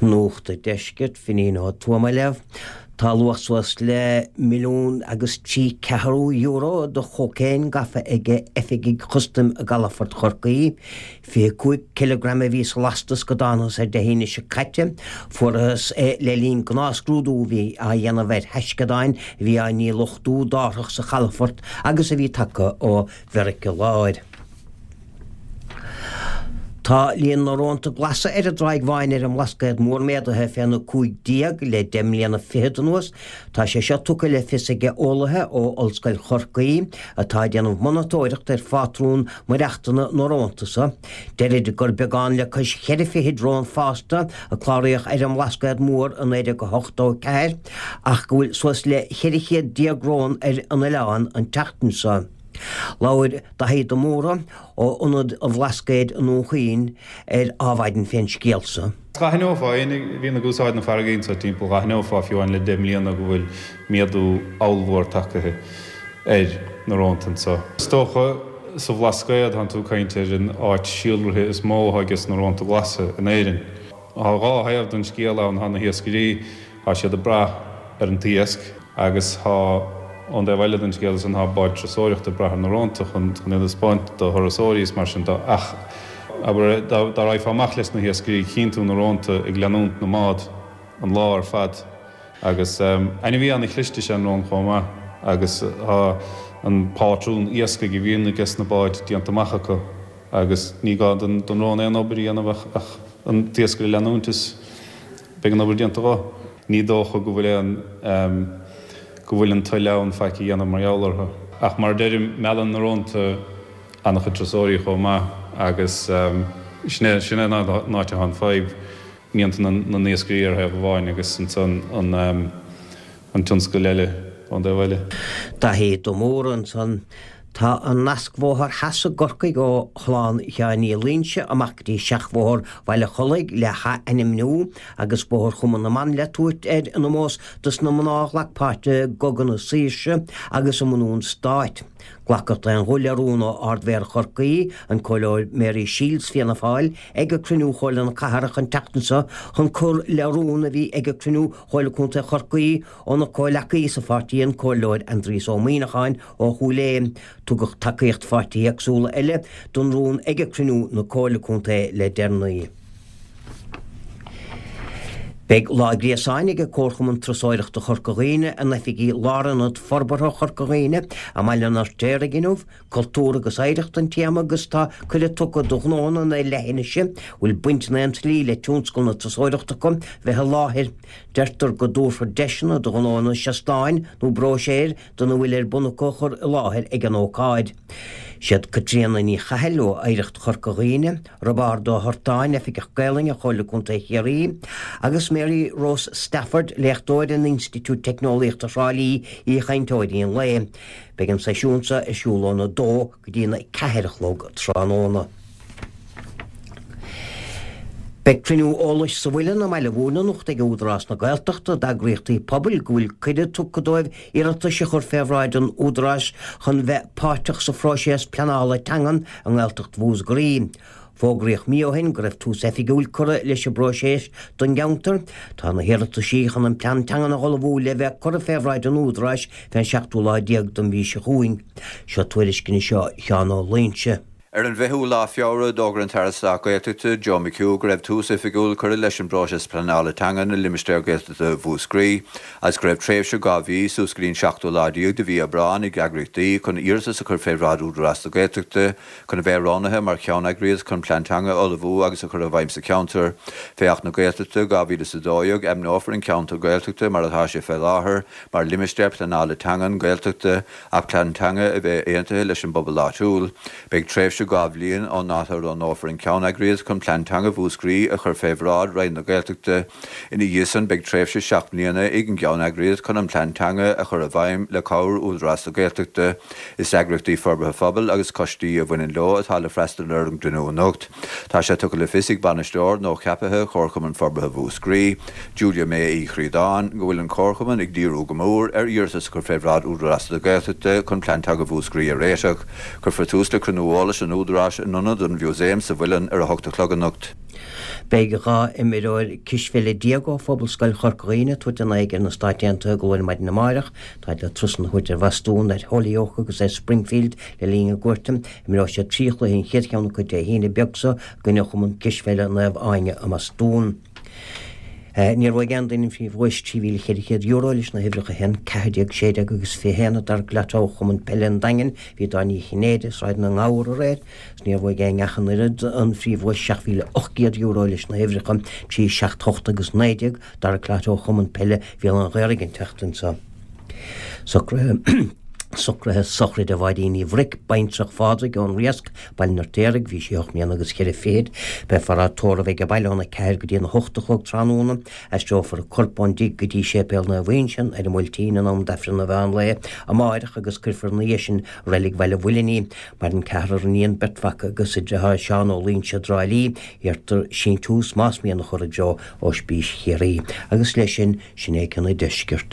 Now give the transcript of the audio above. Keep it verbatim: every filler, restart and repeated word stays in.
Nuacht an Deiscirt, Finín Ó Tuama libh. Tá luach suas le milliún agus trí ceathrú euro de chócaon gafa ag oifigigh chustaim i gcalafort Chorcaí. Fiche cúig cileagram a bhí sa lastas go dtángthas air Dé hAoine seo caite. Fuarthas é le linn gnáthscrúdú a bhí á dhéanamh ar thaisceadáin a bhí á ndíluchtú d'árthach sa chalafort agus a bhí tagtha ó Mheiriceá Láir. Tá líon na rónta glasa ar an dTráigh Bháin ar an mBlascaod Mór méadaithe féna cúig déag le deich mbliana fichead anuas. Tá sé seo tugtha le fios ag eolaithe ó Ollscoil Chorcaí atá ag déanamh monatóireacht ar phátrún maireachtana na rónta seo. Deirid gur beagán le cois cheithre fichid rón fásta a cláraíodh ar an mBlascaod Mór i naoi déag ochtó ceathair ach go bhfuil suas le ceithre chéad déag rón ar an oileán an tseachtain seo. Labhair Daithí de Mórdha ó Ionad an Bhlascaoid i nDún Chaoin ar Adhmhaidin fén scéal seo. D'aithneofá, éinne a bhíonn ag úsáid na farraige anseo timpeall, d'aithneofá fiú amháin le deich mbliana go bhfuil méadú ollmhór tagtha ar na rónta anseo. Is dócha sa Bhlascaod tánn tú ag caint ar an áit síolraithe is mó atá ages na rónta glasa in Éirinn. Tá dhá thaobh den scéal ann, tá na hiascairí, tá siad ag brath ar an t-iasc agus tá ón dtaobh eile den scéal san tá báid turasóireachta ag brath ar na rónta chun chun iad a spáint do thurasóirí is mar sin de ach abair dá dá raghfá amach leis na hiascairí chíonn tú na rónta ag leanúint na mbád an lá ar fad agus ainmhí an-chliste is ea an rón chomh maith agus tá an pátrún iascaigh a bhíonn ages na báid déanta amach acu agus ní gá don don rón aon obair a dhéanamh ach ach an t-iascaire a leanúint is beidh an obair déanta dhó. Ní dócha go bhfuil aon go bhfuil an toil ann faic a dhéanamh mar gheall orthu. Ach mar a deirim, meallann na rónta an-chuid turasóirí chomh maith agus sin é sin é an áit atá an fadhb, mianta na n-iascairí ar thaobh amháin agus ansan an an tionscal eile ón dtaobh eile. Daithí de Mórdha ansan. Tá an nascbhóthar theas i gCorcaigh ó Chaolán Sheáin Uí Loingsigh amach go dtí seachbhóthar Bhaile Chollaigh le hathainmniú agus Bóthar Chumann na mBan le tabhairt air in ómós dos na mná a ghlac páirt i gCogadh na Saoirse agus i mbunú an stáit. Glacadh d'aon ghuth le rún ó Ard-Mhéara Chorcaí, an Comhairleoir Mary Shiels Fianna Fáil, ag cruinniú Chomhairle na Cathrach an tseachtain seo chun cur le rún a bhí ag cruinniú Chomhairle Contae Chorcaí óna comhleacaí sa pháirtí an Comhairleoir Aindrias Ó Muimhneacháin ó Chúil Aodha. Tugadh tacaíocht pháirtithe éagsúla eile don rún ag cruinniú na Comhairle Contae le deireanaí. Beidh lá gréasáin ag Comharchumann Turasóireachta Chorca Dhuibhne in oifigí Lárionad Forbartha Chorca Dhuibhne i mBaile an Fheirtéaraigh inniu, cultúr agus oidhreacht an téama agus tá cuireadh tugtha do ghnónna na leithinise bhfuil baint in aon tslí le tionscal na turasóireachta acu bheith i láthair. Deirtear go dtabharfar deiseanna do ghnónna seastáin nó bróiséir dona bhfuil ar bun acu a chur i láthair ag an ócáid. Siad Caitríona Ní Chathail ó Oidhreacht Chorca Dhuibhne, Roibeárd Ó hOrtáin, Oifigeach Gaelainne Chomhairle Contae Chiarraí, agus Mary Rose Stafford, léachtóir in Institiúid Teicneolaíochta Thrá Lí, aoichainteoirí an lae. Beidh an seisiún seo ar siúl óna dó go dtí na ceathair a chlog tráthnóna. Beidh cruinniú eolais sa Mhuileann i mBaile Mhúirne anocht ag Údarás na Gaeltachta d'eagraíochtaí pobail go bhfuil cuireadh tugtha dóibh iarratais a chur fé bhráid an Údaráis chun bheith páirteach sa phróiseas pleanála teangan i nGaeltacht Mhúscraí. Fógraíodh mí ó shin go raibh tús oifigiúil curtha leis an bpróiseas don gceantar. Tá na hiarrataisí chun an plean teangan a ullmhú le bheith curtha fé bhráid an Údaráis fén seachtú lá déag den mhí seo chugainn. Seo tuairisc anseo Sheán Ó Loingsigh. Ar an bhfichiú lá Feabhra, d'fhógair an tAire Stáit Gaeltachta, Joe McHugh, go raibh tús oifigiúil curtha leis an bpróiseas pleanála teangan i limistéar Gaeltachta Mhúscraí, agus go raibh tréimhse dhá mhí, suas go dtí an seachtú lá déag de mhí Aibreáin, ag eagraíochtaí chun iarratas a chur fé bhráid Údarás na Gaeltachta chun a bheith roghnaithe mar cheanneagraíocht chun plean teanga a ullmhú agus a chur i bhfeidhm sa cheantar. Fé Acht na Gaeltachta dhá mhíle is a dó dhéag, ainmneofar an ceantar Gaeltachta mar atá sé fé láthair mar limistéar pleanála teangan Gaeltachta ach plean teanga a bheith aontaithe leis an bpobal áitiúil. Beidh tréimhse dhá bhliain ón dáta a roghnófar an ceanneagraíocht chun plean teanga Mhúscraí a chur fé bhráid Roinn na Gaeltachta. Ina dhiaidh san beidh tréimhse seacht mbliana ag an gceanneagraíocht chun an plean teanga a chur i bhfeidhm le cabhair Údarás na Gaeltachta. Is eagraíochtaí forbartha phobail agus coistí a bhaineann leo atá le freastal ar an gcruinniú anocht. Tá sé tugtha le fios ag bainisteoir nuacheaptha Chomharchumann Forbartha Mhúscraí, Julia May Uí Chríodáin, go bhfuil an Comharchumann ag díriú go mór ar iarratas a chur fé bhráid Údarás na Gaeltachta chun plean teanga Mhúscraí a réiteach. Cuirfear tús le cruinniú eolais anocht. an Údaráis in Ionad an Mhúsaeim sa Mhuileann ar a hocht a chlog anocht. Beidh dhá imreoir cispheile déag ó Phobalscoil Chorca Dhuibhne ag tabhairt a n-aghaidh ar na Stáit Aontaithe go luath ar maidin amárach. Táid le turasanna a thabhairt ar Bhostún, ar Holyoke agus ar Springfield le linn a gcuairte. Imreoidh siad trí chluiche an chéad cheann acu Dé hAoine beag seo i gcoinne Chumann Cispheile Naomh Áine i mBostún. Níor bhuaigh aon duine an phríomhdhuais trí mhíle cheithre chéad euro leis na huimhreacha a haon, ceathair déag, sé déag agus fiche haon i dTarrac Lotto Chumann Peile an Daingin. Bhí Dáin Uí Chinnéide, Sráid na nGabhar aréir is níor bhuaigh aon ach an oiread an phríomhdhuais seacht mhíle ocht gcéad euro leis na huimhreacha trí, seacht, hocht agus naoi déag. dTarrac Lotto Chumann Peile Bhéal an Ghaorthaidh an tseachtain seo. Socruithe Socruithe sochraide Mháirín Uí Bhruic, baintreach Phádraig ón Riasc, Baile an Fheirtéaraigh, bhí sí ocht mbliana agus ceithre fichid. Beifear á tórramh ag an baile óna ceathair go dtí an hocht a chlog tráthnóna. Aistreofar a corp ón dtigh go dtí Séipéal Naomh Uinseann ar an Bhuailtín in am d'Aifreann an mheán lae amáireach agus cuirfear ina dhiaidh sin i Reilig Bhaile an Mhuilinn í. Maireann ceathrar iníon, beirt mhac agus a deartháir Seán ó Luínse i dTrá Lí. Iarrtar síntiús más mian a chur i dtreo Ospís Chiarraí. Agus leis sin, sin é cionn an deiscirt.